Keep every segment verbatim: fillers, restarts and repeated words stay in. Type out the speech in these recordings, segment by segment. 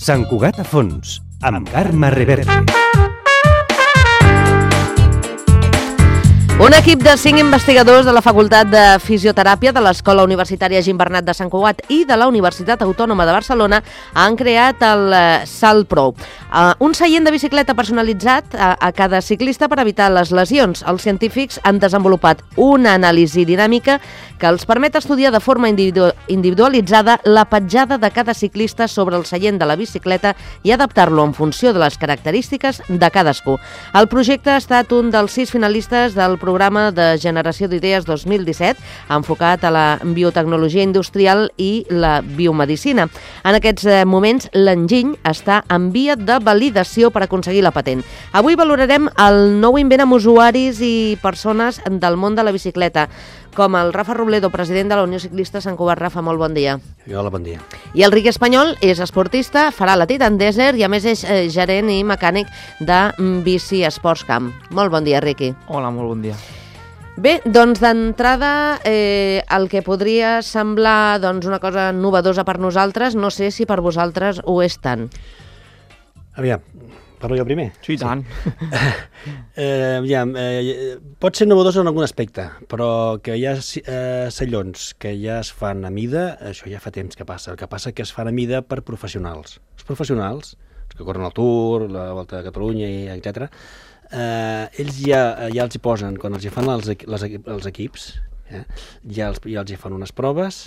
Sant Cugat a fons, amb Carme Reverte. Un equip de cinc investigadors de la Facultat de Fisioteràpia de l'Escola Universitària Gimbernat de Sant Cugat i de la Universitat Autònoma de Barcelona han creat el SalPro, un seient de bicicleta personalitzat a cada ciclista per evitar les lesions. Els científics han desenvolupat una anàlisi dinàmica que els permet estudiar de forma individualitzada la petjada de cada ciclista sobre el seient de la bicicleta i adaptar-lo en funció de les característiques de cadascú. El projecte ha estat un dels sis finalistes del programa de Generació d'Idees dos mil disset, enfocat a la biotecnologia industrial i la biomedicina. En aquests moments, l'enginy està en via de validació per aconseguir la patent. Avui valorarem el nou invent amb usuaris i persones del món de la bicicleta, com el Rafa Robledo, president de la Unió Ciclista Sant Cugat. Rafa, molt bon dia. Hola, bon dia. I el Riqui Espanyol és esportista, farà la Titan Desert i a més és gerent i mecànic de Bici Esports Camp. Molt bon dia, Riqui. Hola, molt bon dia. Bé, doncs d'entrada eh, el que podria semblar doncs, una cosa novedosa per nosaltres, no sé si per vosaltres ho és tant. Aviam, parlo jo primer? Sí, tant. eh, aviam, eh, pot ser novedosa en algun aspecte, però que hi ha eh, sallons que ja es fan a mida, això ja fa temps que passa. El que passa que es fan a mida per professionals. Els professionals, els que corren el Tour, la Volta de Catalunya, etcètera, eh, ells ja, ja els hi posen, quan els hi fan els, les, els equips, eh, ja, els, ja els hi fan unes proves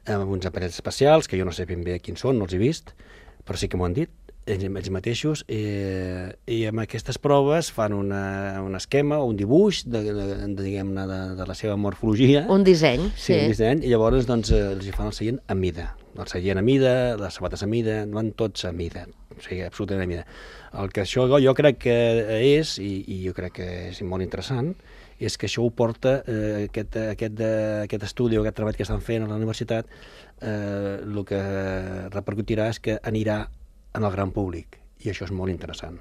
amb uns aparells especials, que jo no sé ben bé quins són, no els he vist, però sí que m'ho han dit, ells, ells mateixos, eh, i amb aquestes proves fan una, un esquema o un dibuix de, de, de, diguem-ne, de, de la seva morfologia. Un disseny, sí. Sí, un disseny, i llavors doncs, els hi fan el seient a mida. El seient a mida, les sabates a mida, van tots a mida, o sigui, absolutament a mida. El que això jo crec que és, i, i jo crec que és molt interessant, és que això ho porta, eh, aquest, aquest, aquest estudi o aquest treball que estan fent a la universitat, eh, el que repercutirà és que anirà en el gran públic, i això és molt interessant,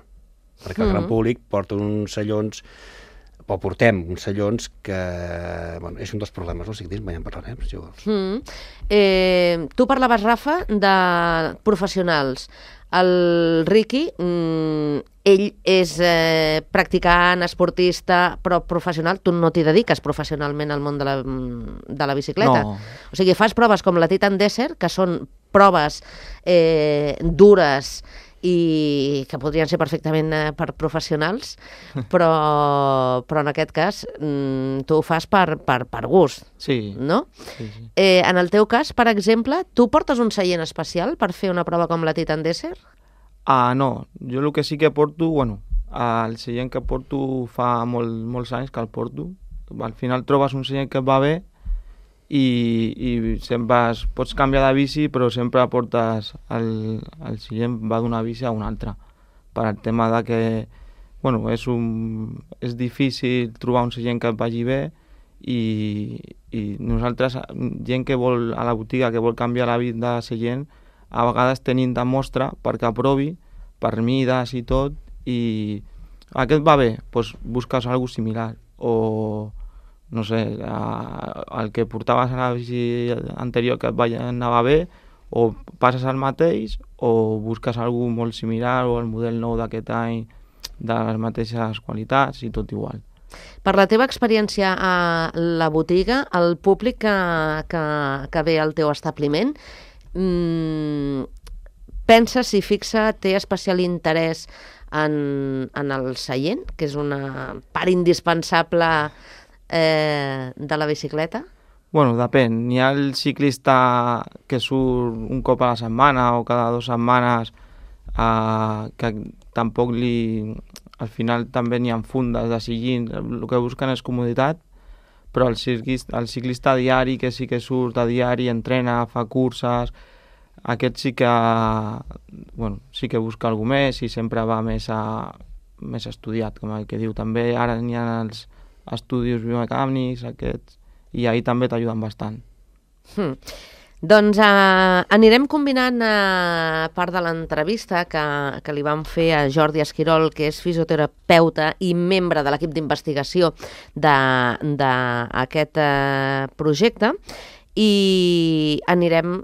perquè el mm. gran públic porta uns sallons, o portem uns sallons que, bueno, és un dels problemes del ciclisme, ja en parlarem, si vols. Mm. Eh, tu parlaves, Rafa, de professionals. El Riqui, mm, ell és eh, practicant, esportista, però professional. Tu no t'hi dediques professionalment al món de la, de la bicicleta. No. O sigui, fas proves com la Titan Desert, que són proves eh, dures i que podrien ser perfectament eh, per professionals, però, però en aquest cas mm, tu ho fas per, per, per gust, Sí. no? Sí, sí. Eh, en el teu cas, per exemple, tu portes un seient especial per fer una prova com la Titan Desert? Ah, no, jo el que sí que porto, bueno, el seient que porto fa molt, molts anys que el porto. Al final trobes un seient que et va bé i, i sempre es, pots canviar de bici, però sempre portes el, el seient va d'una bici a una altra, per al tema de que, bueno, és, un, és difícil trobar un seient que et vagi bé i, i nosaltres, gent que vol a la botiga, que vol canviar la vida de seient, a vegades tenim de mostra perquè aprovi, per mides i tot, i aquest va bé, doncs busques alguna cosa similar, o no sé, el que portaves a la bici anterior que et va, anava bé, o passes al mateix, o busques alguna cosa molt similar, o el model nou d'aquest any de les mateixes qualitats i tot igual. Per la teva experiència a la botiga, el públic que, que, que ve al teu establiment, mmm, pensa, si fixa, té especial interès en, en el seient, que és una part indispensable eh, de la bicicleta? Bueno, depèn. N'hi ha el ciclista que surt un cop a la setmana o cada dues setmanes eh, que tampoc li... Al final també n'hi ha fundes de sillín, el que busquen és comoditat, però el ciclista, el ciclista diari, que sí que surt a diari, entrena, fa curses, aquest sí que, bueno, sí que busca alguna més i sempre va més, a, més estudiat, com el que diu. També ara n'hi ha els estudis biomecànics, aquests, i ahir també t'ajuden bastant. Hmm. Doncs eh, anirem combinant eh, part de l'entrevista que, que li vam fer a Jordi Esquirol, que és fisioterapeuta i membre de l'equip d'investigació d'aquest eh, projecte, i anirem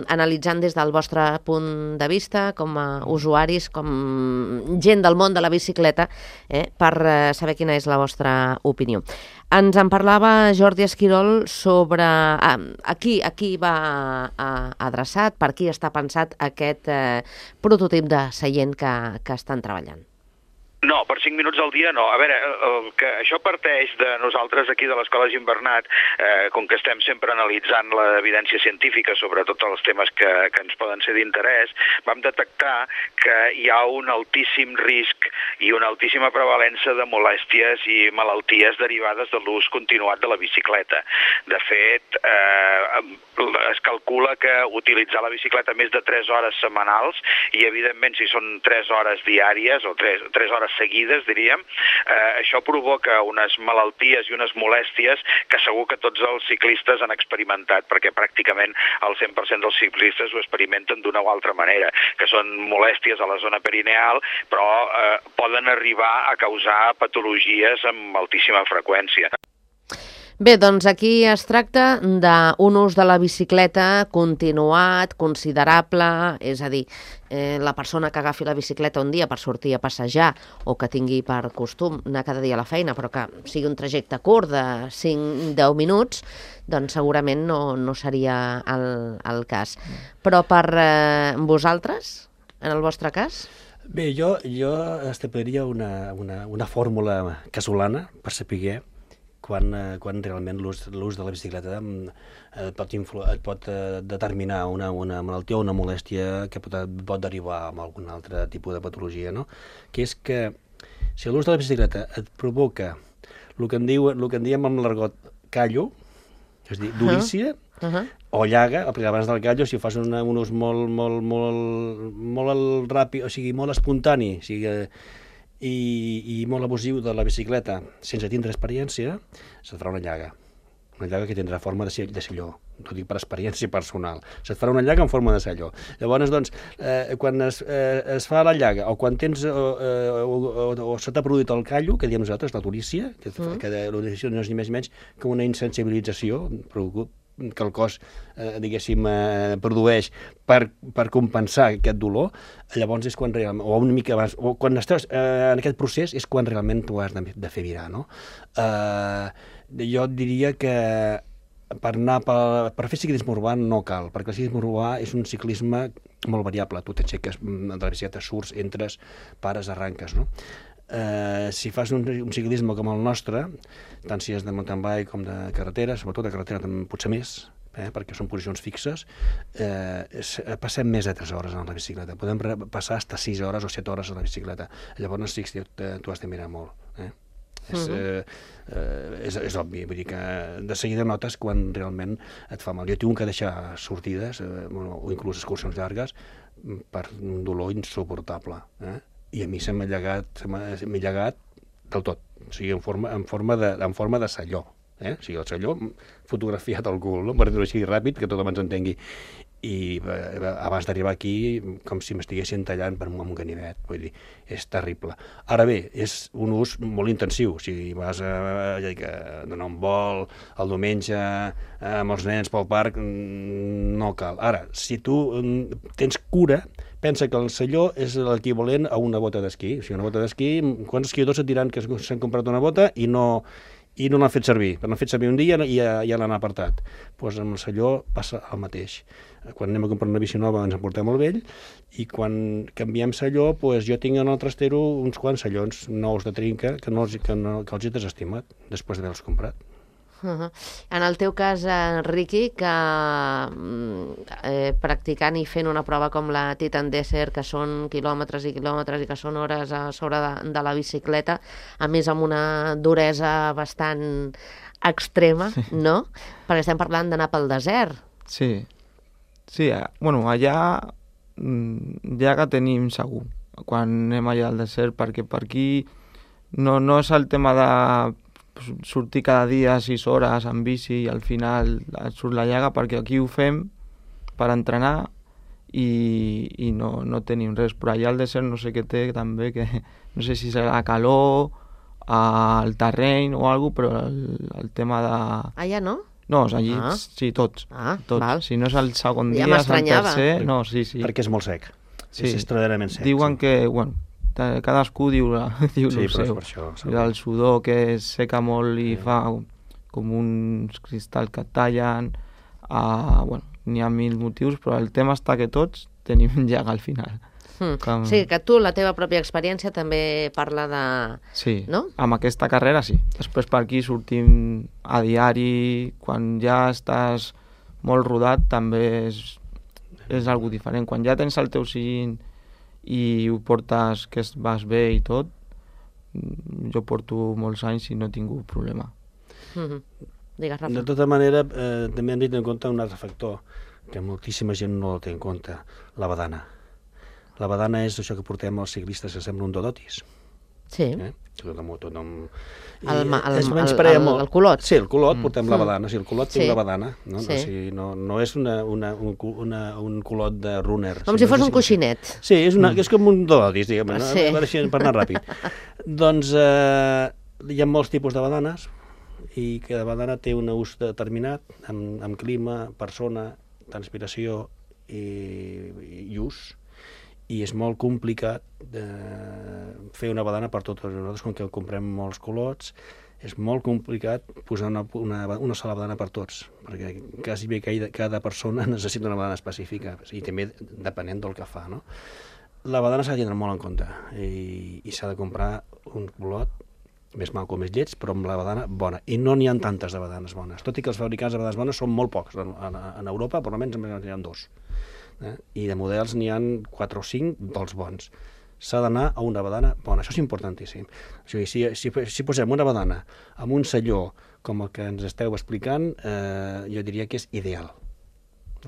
analitzant des del vostre punt de vista com a usuaris, com gent del món de la bicicleta, eh, per saber quina és la vostra opinió. Ens en parlava Jordi Esquirol sobre a, a qui, a qui va a, adreçat, per qui està pensat aquest eh, prototip de seient que, que estan treballant. No, per cinc minuts al dia no. A veure, el que això parteix de nosaltres aquí de l'Escola Gimbernat, eh, com que estem sempre analitzant l'evidència científica sobre tots els temes que, que ens poden ser d'interès, vam detectar que hi ha un altíssim risc i una altíssima prevalença de molèsties i malalties derivades de l'ús continuat de la bicicleta. De fet, eh, es calcula que utilitzar la bicicleta més de tres hores setmanals, i evidentment si són tres hores diàries o tres, tres hores seguides, diríem, eh, això provoca unes malalties i unes molèsties que segur que tots els ciclistes han experimentat, perquè pràcticament el cent per cent dels ciclistes ho experimenten d'una o altra manera, que són molèsties a la zona perineal, però eh, poden arribar a causar patologies amb altíssima freqüència. Bé, doncs aquí es tracta d'un ús de la bicicleta continuat, considerable, és a dir, eh, la persona que agafi la bicicleta un dia per sortir a passejar o que tingui per costum anar cada dia a la feina, però que sigui un trajecte curt de cinc a deu minuts, doncs segurament no, no seria el, el cas. Però per eh, vosaltres, en el vostre cas? Bé, jo, jo establiria una, una, una fórmula casolana per saber quan, quan realment l'ús de la bicicleta et pot, influ, et pot determinar una, una malaltia o una molèstia que pot, pot derivar amb algun altre tipus de patologia, no? Que és que si l'ús de la bicicleta et provoca el que en, diu, el que en diem amb l'argot callo, és a dir, durícia, uh -huh. o llaga, perquè abans del callo, si fas una, un ús molt, molt, molt, molt ràpid, o sigui, molt espontani, o sigui, i, i molt abusiu de la bicicleta sense tindre experiència, se't farà una llaga. Una llaga que tindrà forma de, de silló. No dic per experiència personal. Se't farà una llaga en forma de silló. Llavors, doncs, eh, quan es, eh, es fa la llaga, o quan tens, o, o, o, o se t'ha produït el callo, que diem nosaltres, la turícia, que, mm. que la turícia no és ni més ni menys que una insensibilització que el cos, eh, diguéssim, eh, produeix per, per compensar aquest dolor, llavors és quan realment, o una mica abans, o quan estàs eh, en aquest procés és quan realment tu has de, de fer virar, no? Eh, jo diria que per anar per, per fer ciclisme urbà no cal, perquè el ciclisme urbà és un ciclisme molt variable. Tu t'aixeques de la bicicleta, surts, entres, pares, arranques, no? Eh, si fas un, un ciclisme com el nostre, tant si és de mountain bike com de carretera, sobretot de carretera potser més, eh, perquè són posicions fixes, eh, és, passem més de tres hores en la bicicleta. Podem passar fins a sis hores o set hores a la bicicleta. Llavors sí que tu has de mirar molt. Eh? És, eh, eh, és, és obvi, vull dir que de seguida notes quan realment et fa mal. Jo tinc que deixar sortides, eh, o inclús excursions llargues, per un dolor insuportable, eh? I a mi se m'ha llegat, se m'ha llegat del tot, o sigui, en forma, en forma, de, en forma de selló, eh? O sigui, el selló fotografiat al cul, no? Per dir-ho així ràpid, que tothom ens entengui. I eh, abans d'arribar aquí, com si m'estiguessin tallant per un ganivet, vull dir, és terrible. Ara bé, és un ús molt intensiu, si vas a, a, a donar un vol el diumenge amb els nens pel parc, no cal. Ara, si tu tens cura, pensa que el selló és l'equivalent a una bota d'esquí. O sigui, una bota d'esquí, quants esquiadors et diran que s'han comprat una bota i no, i no l'han fet servir? L'han fet servir un dia i ja, ja l'han apartat. Doncs amb el selló passa el mateix. Quan anem a comprar una bici nova ens en portem el vell, i quan canviem selló, doncs jo tinc en el trastero uns quants sellons nous de trinca que, no, que, no, que els he desestimat després d'haver-los comprat. Uh-huh. En el teu cas, eh, Riqui, que eh, practicant i fent una prova com la Titan Desert, que són quilòmetres i quilòmetres i que són hores a sobre de, de la bicicleta, a més amb una duresa bastant extrema, sí. No? Perquè estem parlant d'anar pel desert. Sí, sí, bueno, allà ja que tenim segur, quan anem allà al desert, perquè per aquí no, no és el tema de sortir cada dia sis hores en bici i al final et surt la llaga, perquè aquí ho fem per entrenar i, i no, no tenim res. Però allà al desert no sé què té també, que no sé si serà la calor, el terreny o alguna cosa, però el, el tema de... Allà no? No, allí Ah. sí, tots. Ah, tots. val. Si no és el segon Ja dia, és el m'estranyava. tercer... No, sí, sí. Perquè és molt sec. Sí. És extraordinàriament sec. Diuen sí. que, bueno, ta- cadascú diu, la, diu Sí, el però és seu. per això, segur. El sudor que es seca molt i Sí. fa com uns cristalls que et tallen. Uh, bueno, n'hi ha mil motius, però el tema està que tots tenim llaga al final. Mm. Com- Sí, que tu, la teva pròpia experiència també parla de... Sí, No? amb aquesta carrera sí. Després per aquí sortim a diari, quan ja estàs molt rodat també és, és algo diferent. Quan ja tens el teu sillín i ho portes que es- vas bé i tot, mm, jo porto molts anys i no he tingut problema. Mm -hmm. Digues, De Rafa. tota manera, eh, també hem de tenir en compte un altre factor, que moltíssima gent no el té en compte, la badana. La badana és això que portem els ciclistes, que sembla un dodotis. Sí. Eh? Tot amb, tot amb... El ma- el- es el- menysprea el- molt. el culot. Sí, el culot, Mm. portem la Mm. badana. Sí, el culot té Sí. una badana. No, Sí. no, o sigui, no, no és una, una, un, cu- una, un culot de runner. Com sinó si fos és un així. coixinet. Sí, és, una, és com un dodotis, diguem, no? Sí. Per, així, per anar ràpid. Doncs eh, hi ha molts tipus de badanes i cada badana té un ús determinat amb, amb clima, persona, transpiració i, i ús, i és molt complicat de fer una badana per totes. Nosaltres, com que comprem molts culots, és molt complicat posar una, una, una sola badana per tots, perquè quasi bé cada, cada persona necessita una badana específica, i també depenent del que fa, no? La badana s'ha de tindre molt en compte, i, i s'ha de comprar un culot més mal com més lleig, però amb la badana bona. I no n'hi ha tantes de badanes bones, tot i que els fabricants de badanes bones són molt pocs. En, en, en Europa, per almenys, n'hi ha dos. Eh? I de models n'hi ha quatre o cinc dels bons. S'ha d'anar a una badana bona, això és importantíssim. O sigui, si, si, si posem una badana amb un selló com el que ens esteu explicant, eh, jo diria que és ideal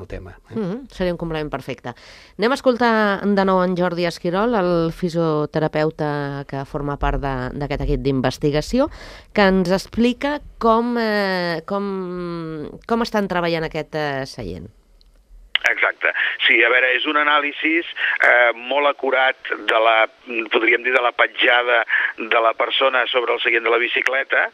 el tema. Eh? Mm -hmm. Seria un complement perfecte. Anem a escoltar de nou en Jordi Esquirol, el fisioterapeuta que forma part de- d'aquest equip d'investigació, que ens explica com, eh, com, com estan treballant aquest eh, seient. Exacte. Sí, a veure, és un anàlisi eh, molt acurat de la, podríem dir, de la petjada de la persona sobre el seient de la bicicleta,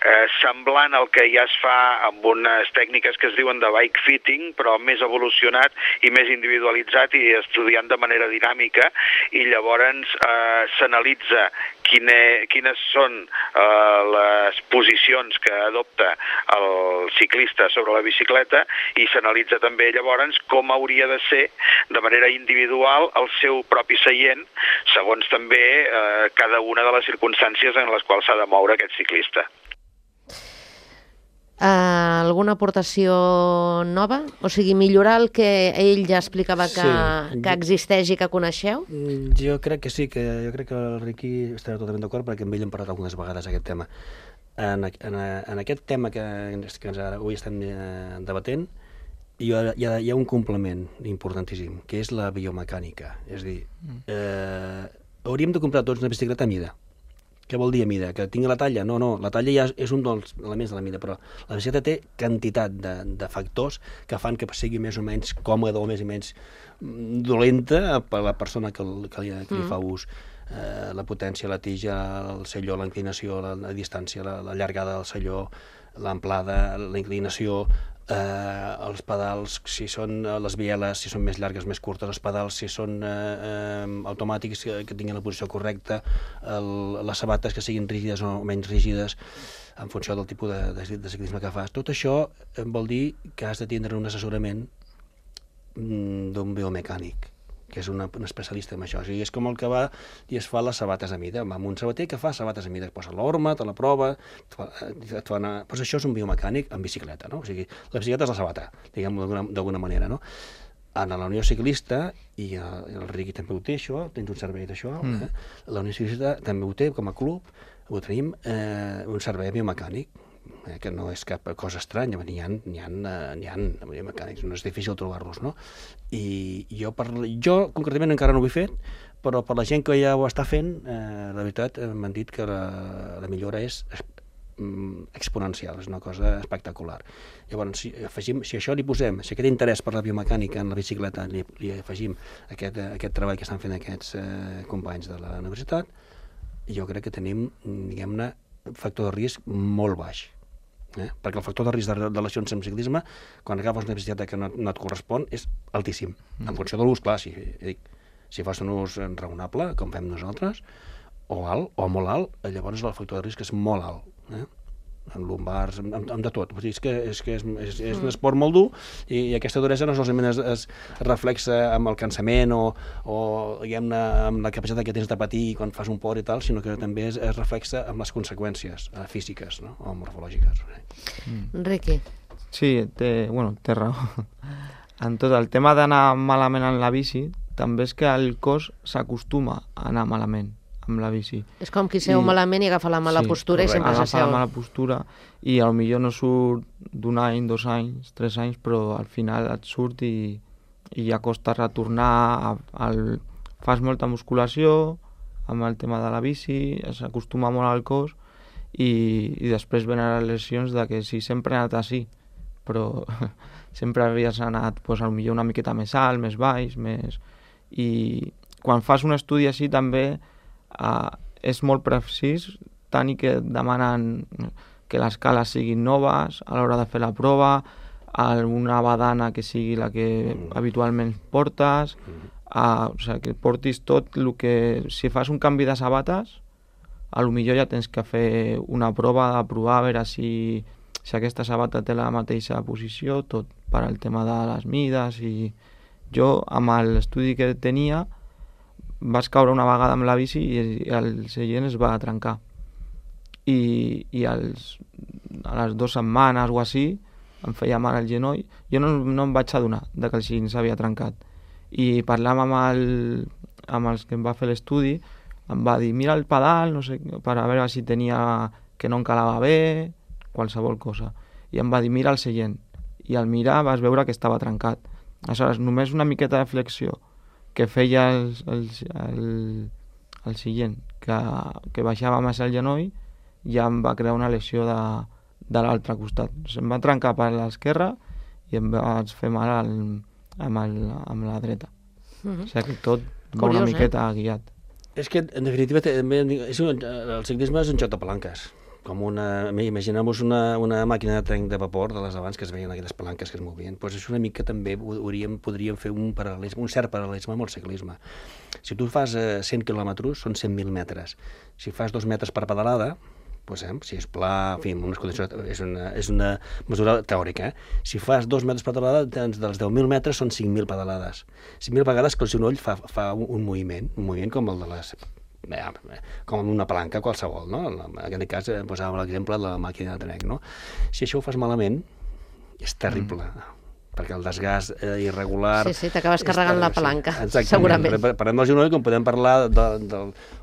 eh, semblant al que ja es fa amb unes tècniques que es diuen de bike fitting, però més evolucionat i més individualitzat i estudiant de manera dinàmica, i llavors eh, s'analitza quine, quines són eh, les posicions que adopta el ciclista sobre la bicicleta, i s'analitza també llavors com hauria de ser de manera individual el seu propi seient, segons també eh, cada una de les circumstàncies en les quals s'ha de moure aquest ciclista. Uh, alguna aportació nova? O sigui, millorar el que ell ja explicava que, Sí. que existeix i que coneixeu? Mm, Jo crec que sí, que jo crec que el Riqui estarà totalment d'acord, perquè amb ell hem parlat algunes vegades aquest tema. En, en, en aquest tema que, que ens, avui estem eh, debatent, hi ha, hi, ha, hi ha un complement importantíssim, que és la biomecànica. És a dir, eh, hauríem de comprar tots una bicicleta a mida. Què vol dir a mida? Que tingui la talla? No, no, la talla ja és un dels elements de la mida, però la bicicleta té quantitat de, de factors que fan que sigui més o menys còmoda o més o menys mm, dolenta per a la persona que, el- que, li, que li fa ús. Eh, la potència, la tija, el selló, la inclinació, la, la distància, la, la llargada del selló, l'amplada, la inclinació, eh, els pedals, si són eh, les bieles, si són més llargues, més curtes, els pedals, si són eh, eh, automàtics, que, que tinguin la posició correcta, el, les sabates que siguin rígides o menys rígides, en funció del tipus de, de, de ciclisme que fas. Tot això eh, vol dir que has de tindre un assessorament mm, d'un biomecànic, que és una, un especialista en això. O sigui, és com el que va i es fa les sabates a mida. Va amb un sabater que fa sabates a mida, et posa l'orma, te la prova, et fa, et fa anar... Pues això és un biomecànic en bicicleta, no? O sigui, la bicicleta és la sabata, diguem-ho d'alguna d'alguna manera, no? En la Unió Ciclista, i el, el Riqui també ho té, això, tens un servei d'això, mm. eh? La Unió Ciclista també ho té, com a club, ho tenim, eh, un servei biomecànic, eh, que no és cap cosa estranya, n'hi ha, n'hi ha, n'hi ha biomecànics, no és difícil trobar-los, no? I jo, per, jo concretament encara no ho he fet, però per la gent que ja ho està fent, eh, la veritat, eh, m'han dit que la, la millora és exponencial, és una cosa espectacular. Llavors, si, afegim, si això li posem, si aquest interès per la biomecànica en la bicicleta li, li afegim aquest, aquest treball que estan fent aquests eh, companys de la universitat, jo crec que tenim, diguem-ne, factor de risc molt baix. Eh? Perquè el factor de risc de, de lesions en ciclisme, quan agafes una bicicleta que no, no et correspon, és altíssim. Mm. En funció de l'ús, clar, si, dic, si fas un ús raonable, com fem nosaltres, o alt, o molt alt, llavors el factor de risc és molt alt. Eh? En lumbars, amb, amb de tot. És que, és, que és, és, és un esport molt dur i, i aquesta duresa no solament es, es reflexa amb el cansament o, o diguem-ne, amb la capacitat que tens de patir quan fas un port i tal, sinó que també es, es reflexa amb les conseqüències eh, físiques, no? O morfològiques. Mm. Riqui. Sí, té, bueno, té raó. En tot el tema d'anar malament en la bici, també és que el cos s'acostuma a anar malament amb la bici. És com qui seu I... malament i agafa la mala sí, postura correcte. I sempre s'asseu. Agafa la mala postura i potser no surt d'un any, dos anys, tres anys, però al final et surt i, i ja costa retornar. Al... Fas molta musculació amb el tema de la bici, s'acostuma molt al cos i, i després venen les lesions de que sí, sempre he anat així, però sempre havies anat pues, potser una miqueta més alt, més baix, més... I quan fas un estudi així també Uh, és molt precís, tant i que demanen que les cales siguin noves a l'hora de fer la prova, una badana que sigui la que mm. habitualment portes, uh, o sigui, que portis tot el que... Si fas un canvi de sabates, a lo millor ja tens que fer una prova de provar a veure si, si aquesta sabata té la mateixa posició, tot per al tema de les mides. I jo, amb l'estudi que tenia, vaig caure una vegada amb la bici i el seient es va trencar. I, i als, a les dues setmanes o així em feia mal el genoll. Jo no, no em vaig adonar de que el seient s'havia trencat. I parlant amb, el, amb els que em va fer l'estudi, em va dir, mira el pedal, no sé, per a veure si tenia que no encalava bé, qualsevol cosa. I em va dir, mira el seient. I al mirar vas veure que estava trencat. Aleshores, només una miqueta de flexió que feia el, el, el, el seient, que, que baixava més el genoll, ja em va crear una lesió de, de l'altre costat. Se'm va trencar per l'esquerra i em vaig fer mal al, amb, el, amb la dreta. Mm-hmm. O sigui que tot va Curiós, una miqueta eh? guiat. És que, en definitiva, també, és un, el ciclisme és un joc de palanques. Com una, imaginem-vos una, una màquina de trenc de vapor de les abans que es veien aquelles palanques que es movien. Doncs això una mica també hauríem, podríem fer un paral·lelisme, un cert paral·lelisme amb el ciclisme. Si tu fas eh, cent quilòmetres, són cent mil metres. Si fas dos metres per pedalada, doncs, eh, si és pla, en fi, unes condicions, és, una, és una mesura teòrica. Eh? Si fas dos metres per pedalada, doncs dels deu mil metres són cinc mil pedalades. cinc mil vegades que el genoll fa, fa un, un moviment, un moviment com el de les... Bé, com una palanca qualsevol, no? En aquest cas posàvem l'exemple de la màquina de trenc, no? Si això ho fas malament, és terrible, mm. perquè el desgast eh, irregular... Sí, sí, t'acabes carregant la palanca, sí, segurament. Parlem del genoll com podem parlar de, de,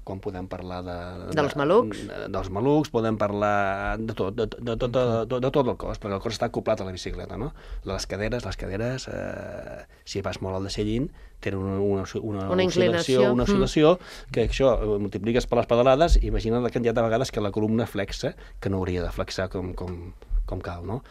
com podem parlar de, de, dels malucs, de, dels malucs, podem parlar de tot, de, de, de, de, de, de tot el cos, perquè el cos està acoplat a la bicicleta, no? Les caderes, les caderes, eh, si vas molt al deixellín, tenen una, una, una, una inclinació, una oscil·lació, mm. que això multipliques per les pedalades, imagina la quantitat de vegades que la columna flexa, que no hauria de flexar com, com, com cal, no?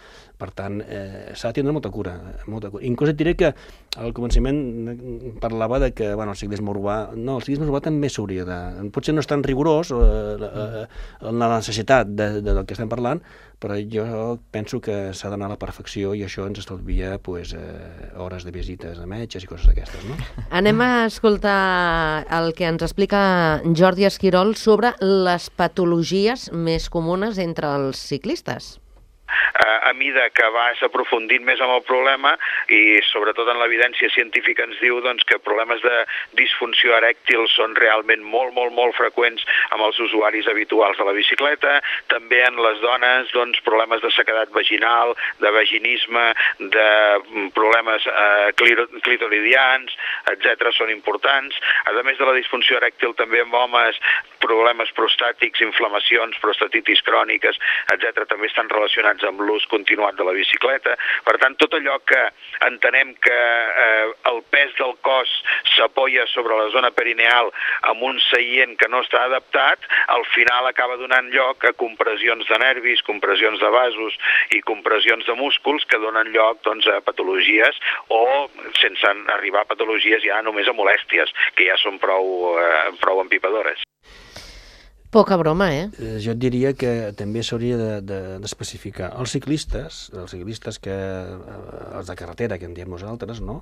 Per tant, eh, s'ha de tindre molta cura, molta cura. Inclús et diré que al començament parlava de que, bueno, el ciclisme urbà... No, el ciclisme urbà també s'hauria de... Potser no és tan rigorós eh, eh, la necessitat de, de, del que estem parlant, però jo penso que s'ha d'anar a la perfecció i això ens estalvia pues, eh, hores de visites a metges i coses d'aquestes, no? Anem a escoltar el que ens explica Jordi Esquirol sobre les patologies més comunes entre els ciclistes. A mida que vas aprofundint més en el problema i sobretot en l'evidència científica ens diu doncs, que problemes de disfunció erèctil són realment molt, molt, molt freqüents amb els usuaris habituals de la bicicleta, també en les dones doncs, problemes de sequedat vaginal, de vaginisme, de problemes eh, clitoridians, etcètera són importants. A més de la disfunció erèctil també en homes problemes prostàtics, inflamacions, prostatitis cròniques, etcètera també estan relacionats amb l'ús continuat de la bicicleta. Per tant, tot allò que entenem que eh, el pes del cos s'apoya sobre la zona perineal amb un seient que no està adaptat, al final acaba donant lloc a compressions de nervis, compressions de vasos i compressions de músculs que donen lloc doncs, a patologies o, sense arribar a patologies, ja només a molèsties, que ja són prou, eh, prou empipadores. Poca broma, eh? Eh, Jo et diria que també s'hauria de- de- d'especificar. Els ciclistes, els ciclistes que, eh, els de carretera, que en diem nosaltres, no?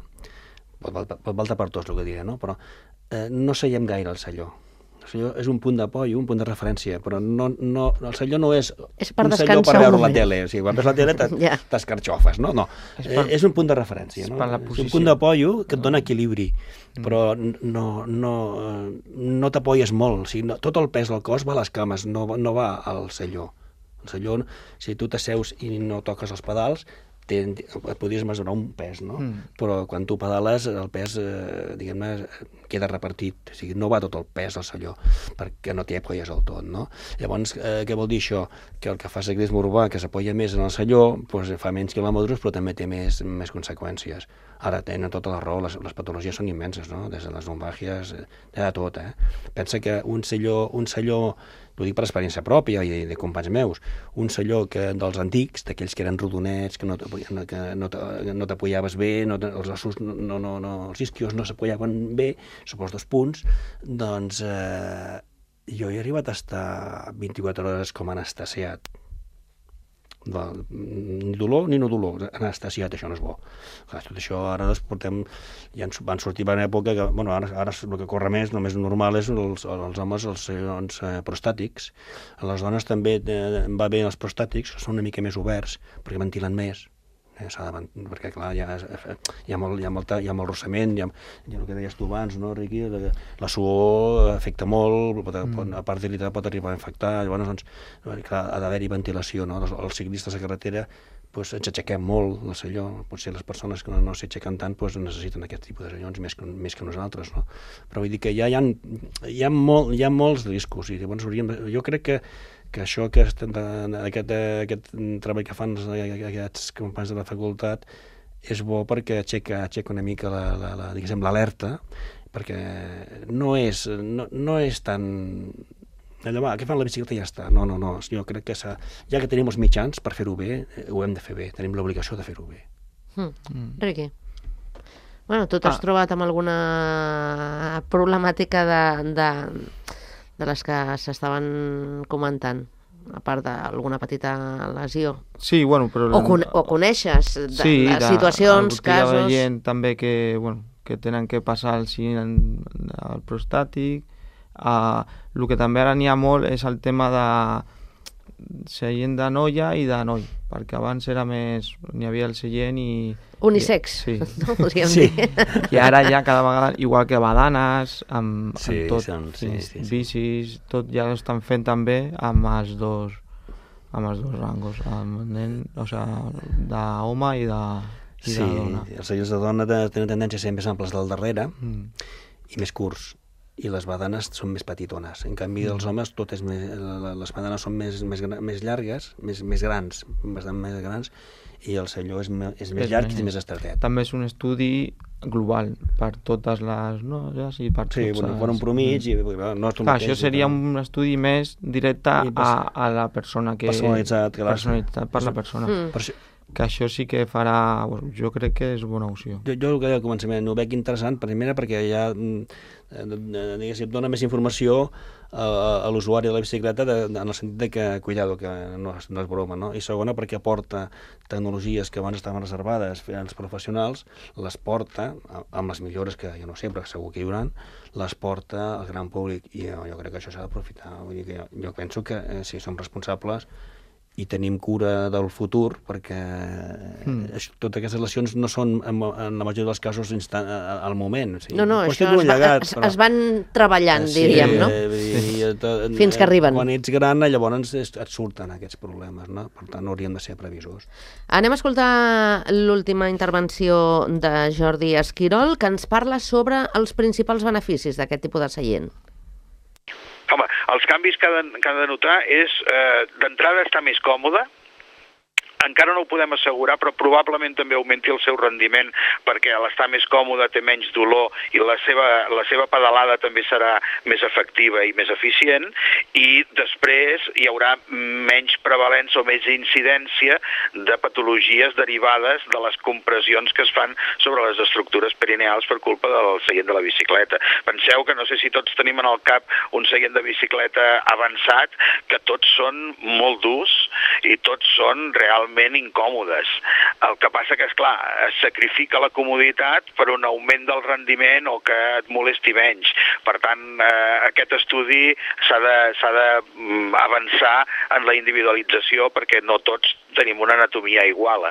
Pot, val- pot valtar per tots, el que diré, no? Però eh, no seiem gaire al selló. El selló és un punt d'apoio, un punt de referència, però no, no, el selló no és, És per un selló descansar per un veure la moment. tele. O sigui, quan veus la tele Ja. t'escarxofes, no? No. És És, per- eh, és un punt de referència, és no? per la És un posició. punt d'apoio que et dona equilibri, però no, no, eh, no t'apoies molt. O sigui, no, tot el pes del cos va a les cames, no, va- no va al selló. El selló, si tu t'asseus i no toques els pedals, ten, et podries mesurar un pes, no? Mm. Però quan tu pedales, el pes, eh, diguem-ne, queda repartit. O sigui, no va tot el pes al selló, perquè no t'hi apoies del tot, no? Llavors, eh, què vol dir això? Que el que fa ciclisme urbà, que s'apoya més en el selló, doncs fa menys quilòmetres, però també té més, més conseqüències. Ara tenen tota la raó, les, les patologies són immenses, no? Des de les lumbàgies, eh, de tot, eh? Pensa que un selló, un selló, ho dic per experiència pròpia i de companys meus, un selló que dels antics, d'aquells que eren rodonets, que no t'apoyaven- que no te- no t'apoyaves bé, no, te- els ossos, no, no, no, no, els isquios no s'apoyaven bé, suposo dos punts, doncs eh, jo he arribat a estar vint-i-quatre hores com anestesiat. Val, ni dolor ni no dolor, anestesiat, això no és bo. Clar, tot això ara doncs, portem, ja ens van sortir per una època que, bueno, ara, ara el que corre més, només normal és els, els homes, els seions eh, prostàtics. A les dones també eh, va bé els prostàtics, que són una mica més oberts, perquè ventilen més. Eh, s'ha de, vent- perquè clar, hi ha, hi ha, molt, hi ha, molta, hi ha molt rossament, hi ha, hi ha el que deies tu abans, no, Riqui? La, la suor afecta molt, pot, pot, a part d'irritar pot arribar a infectar, llavors doncs, clar, ha d'haver-hi ventilació, no? Els, els ciclistes a carretera doncs, ens aixequem molt el selló, potser les persones que no, no s'aixequen tant doncs, necessiten aquest tipus de sellons més que, més que nosaltres, no? Però vull dir que ja hi ha, hi ha, molt, hi ha molts riscos, i llavors hauríem, jo crec que que això, aquest, aquest, aquest treball que fan aquests companys de la facultat és bo perquè aixeca, aixeca una mica la, la, la, diguéssim, l'alerta, perquè no és, no, no és tan... Allò, va, què fan la bicicleta i ja està. No, no, no, jo crec que ja que tenim els mitjans per fer-ho bé, ho hem de fer bé, tenim l'obligació de fer-ho bé. Mm. Mm. Riqui. Bueno, tu t'has ah. trobat amb alguna problemàtica de... de... de les que s'estaven comentant, a part d'alguna petita lesió. Sí, bueno, però... O, con o coneixes de sí, les de, situacions, casos... Sí, hi ha gent també que, bueno, que tenen que passar al, al prostàtic. Uh, el que també ara n'hi ha molt és el tema de seient de noia i de noi, perquè abans era més... n'hi havia el seient i... Unisex, sí. no podríem sí. dir. I ara ja cada vegada, igual que badanes, amb, sí, amb tot, són, sí, sí, sí. bicis, tot ja ho estan fent també amb els dos, amb els dos rangos, amb nen, o sigui, d'home i de, i sí, de dona. Sí, els seients de dona tenen tendència a ser més amples del darrere Mm. i més curts, i les badanes són més petitones. En canvi, dels homes, tot és més, les badanes són més, més, més llargues, més, més grans, bastant més grans, i el selló és, és més és llarg més, i més estretet. També és un estudi global per totes les noies i per tots sí, bueno, els... per un promig i bueno, no és tu clar, mateix, això seria però... un estudi més directe a, a la persona que... Personalitzat, que personalitzat per la persona. Mm. Per això... que això sí que farà... Bueno, jo crec que és bona opció. Jo, jo el que deia al començament ho veig interessant, primera perquè ja diguéssim, dona més informació a, a l'usuari de la bicicleta de, de, en el sentit de que, cuidado, que no és, no és broma, no? I segona perquè aporta tecnologies que abans estaven reservades als professionals, les porta, amb les millores que jo no sé, però segur que hi haurà, les porta al gran públic, i jo, jo crec que això s'ha d'aprofitar. Vull dir que jo, jo penso que eh, si som responsables i tenim cura del futur, perquè mm. això, totes aquestes lesions no són, en, en la majoria dels casos, instant, al moment. O sigui, no, no, això es, llegat, es, però... es van treballant, sí, diríem, no? Sí. I, tot, fins que arriben. Quan ets gran, llavors et surten aquests problemes, no? Per tant, hauríem de ser previsors. Anem a escoltar l'última intervenció de Jordi Esquirol, que ens parla sobre els principals beneficis d'aquest tipus de seient. Home, els canvis que ha de, que ha de notar és, eh, d'entrada, estar més còmode, encara no ho podem assegurar, però probablement també augmenti el seu rendiment, perquè a l'estar més còmode té menys dolor i la seva, la seva pedalada també serà més efectiva i més eficient, i després hi haurà menys prevalença o més incidència de patologies derivades de les compressions que es fan sobre les estructures perineals per culpa del seient de la bicicleta. Penseu que no sé si tots tenim en el cap un seient de bicicleta avançat, que tots són molt durs i tots són realment incòmodes. El que passa que, esclar, es sacrifica la comoditat per un augment del rendiment o que et molesti menys. Per tant, eh, aquest estudi s'ha de, s'ha d'avançar en la individualització perquè no tots tenim una anatomia igual.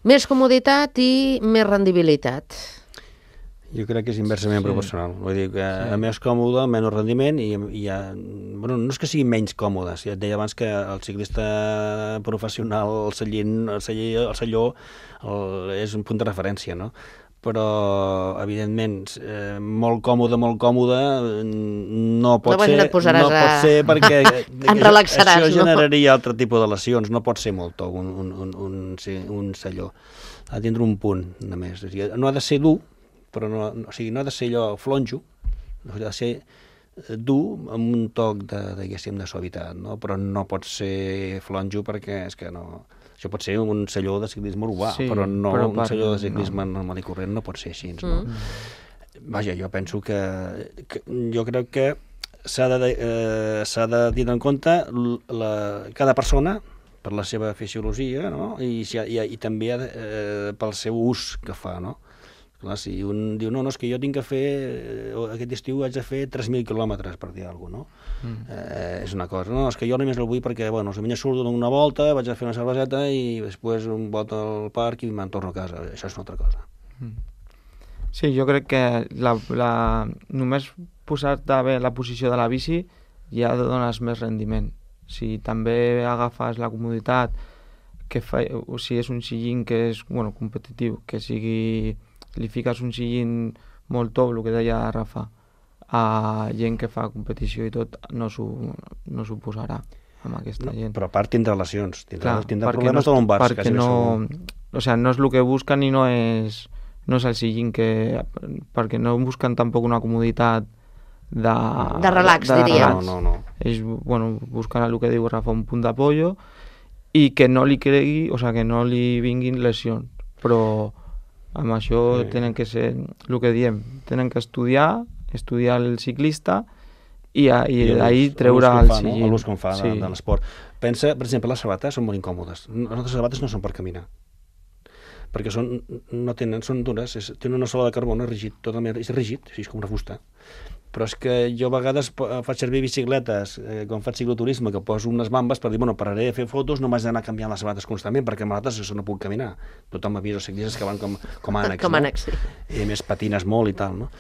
Més comoditat i més rendibilitat. Jo crec que és inversament sí. proporcional. Vull dir que sí. a més còmode, menys rendiment i, i ja, bueno, no és que sigui menys còmode. Ja et deia abans que el ciclista professional, el seient, el celler, el celló, el, és un punt de referència, no? Però, evidentment, eh, molt còmode, molt còmode, no pot no ser, no pot a... ser perquè en relaxaràs, això generaria no? altre tipus de lesions, no pot ser molt un, un, un, un, un celló. Ha de tindre un punt, només. No ha de ser dur, però no, o sigui, no ha de ser allò flonjo, ha de ser dur amb un toc de, diguéssim, de suavitat, no? Però no pot ser flonjo perquè és que no... Això pot ser un celló de ciclisme urbà, sí, però no però un per... celló de ciclisme no. normal i corrent no pot ser així, no? Mm. Vaja, jo penso que, que jo crec que s'ha de, eh, s'ha de tenir en compte la, cada persona per la seva fisiologia, no? I, i, i també eh, pel seu ús que fa, no? Clar, si un diu, no, no, és que jo tinc que fer, aquest estiu haig de fer tres mil quilòmetres, per dir alguna cosa, no? Mm. Eh, és una cosa. No, és que jo només el vull perquè, bueno, si surto una volta, vaig a fer una cerveseta i després un volta al parc i me'n torno a casa. Això és una altra cosa. Mm. Sí, jo crec que la, la, només posar-te bé la posició de la bici ja dones més rendiment. Si també agafes la comoditat, que fa, o si és un sillín que és, bueno, competitiu, que sigui... li fiques un sillín molt top, el que deia Rafa, a gent que fa competició i tot, no s'ho no s'ho posarà amb aquesta no, gent. Però a part tindrà lesions, tindrà, Clar, tindrà problemes no, de lombars. Perquè no, o sea, no és el que busquen i no és, no és el sillín que... perquè no busquen tampoc una comoditat de... De relax, de, de diria. Relax. No, no, no. Ells, bueno, busquen el que diu Rafa, un punt d'apoyo i que no li cregui, o sea, que no li vinguin lesions. Però amb això sí. tenen que ser, el que diem, tenen que estudiar, estudiar el ciclista i, i, i d'ahir treure el sillín. No? L'ús com fa sí. de, de l'esport. Pensa, per exemple, les sabates són molt incòmodes. Les nostres sabates no són per caminar, perquè són, no tenen, són dures, és, tenen una sola de carbona rígid, totalment, és rígid, és com una fusta. Però és que jo a vegades faig servir bicicletes, eh, quan faig cicloturisme, que poso unes bambes per dir, bueno, pararé de fer fotos, no m'haig d'anar canviant les sabates constantment, perquè amb les sabates no puc caminar. Tothom m'avisa els ciclistes que van com, com ànecs, com no? ànecs, sí. I a més patines molt i tal, no?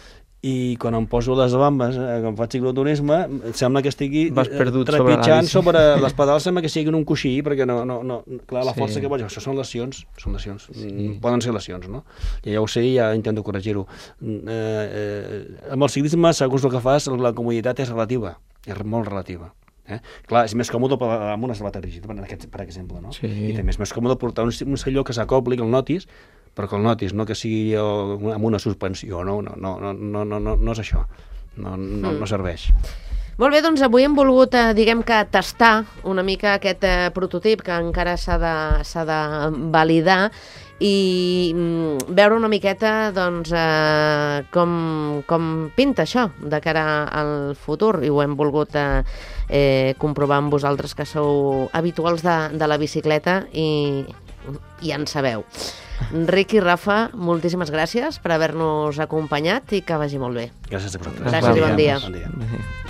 I quan em poso les bambes, eh, quan faig cicloturisme, sembla que estigui trepitjant sobre, sobre les pedals, sembla que siguin un coixí, perquè no, no, no, clar, la força sí. que pots, això són lesions, són lesions, sí. mm, poden ser lesions, no? I ja ho sé i ja intento corregir-ho. Eh, eh, amb el ciclisme, segons el que fas, la comoditat és relativa, és molt relativa. Eh? Clar, és més còmode amb una sabata rígida, per, aquest, per exemple, no? Sí. I també és més còmode portar un, un celló que s'acopli, que el notis, però que el notis, no que sigui amb una suspensió, no, no, no, no, no, no, no és això, no, no, no serveix. Molt bé, doncs avui hem volgut, eh, diguem que, tastar una mica aquest eh, prototip que encara s'ha de, s'ha de validar i mm, veure una miqueta doncs, eh, com, com pinta això de cara al futur, i ho hem volgut eh, eh, comprovar amb vosaltres que sou habituals de, de la bicicleta i, i en sabeu. Enric i Rafa, moltíssimes gràcies per haver-nos acompanyat i que vagi molt bé. Gràcies a vosaltres. Gràcies i bon dia. Bon dia.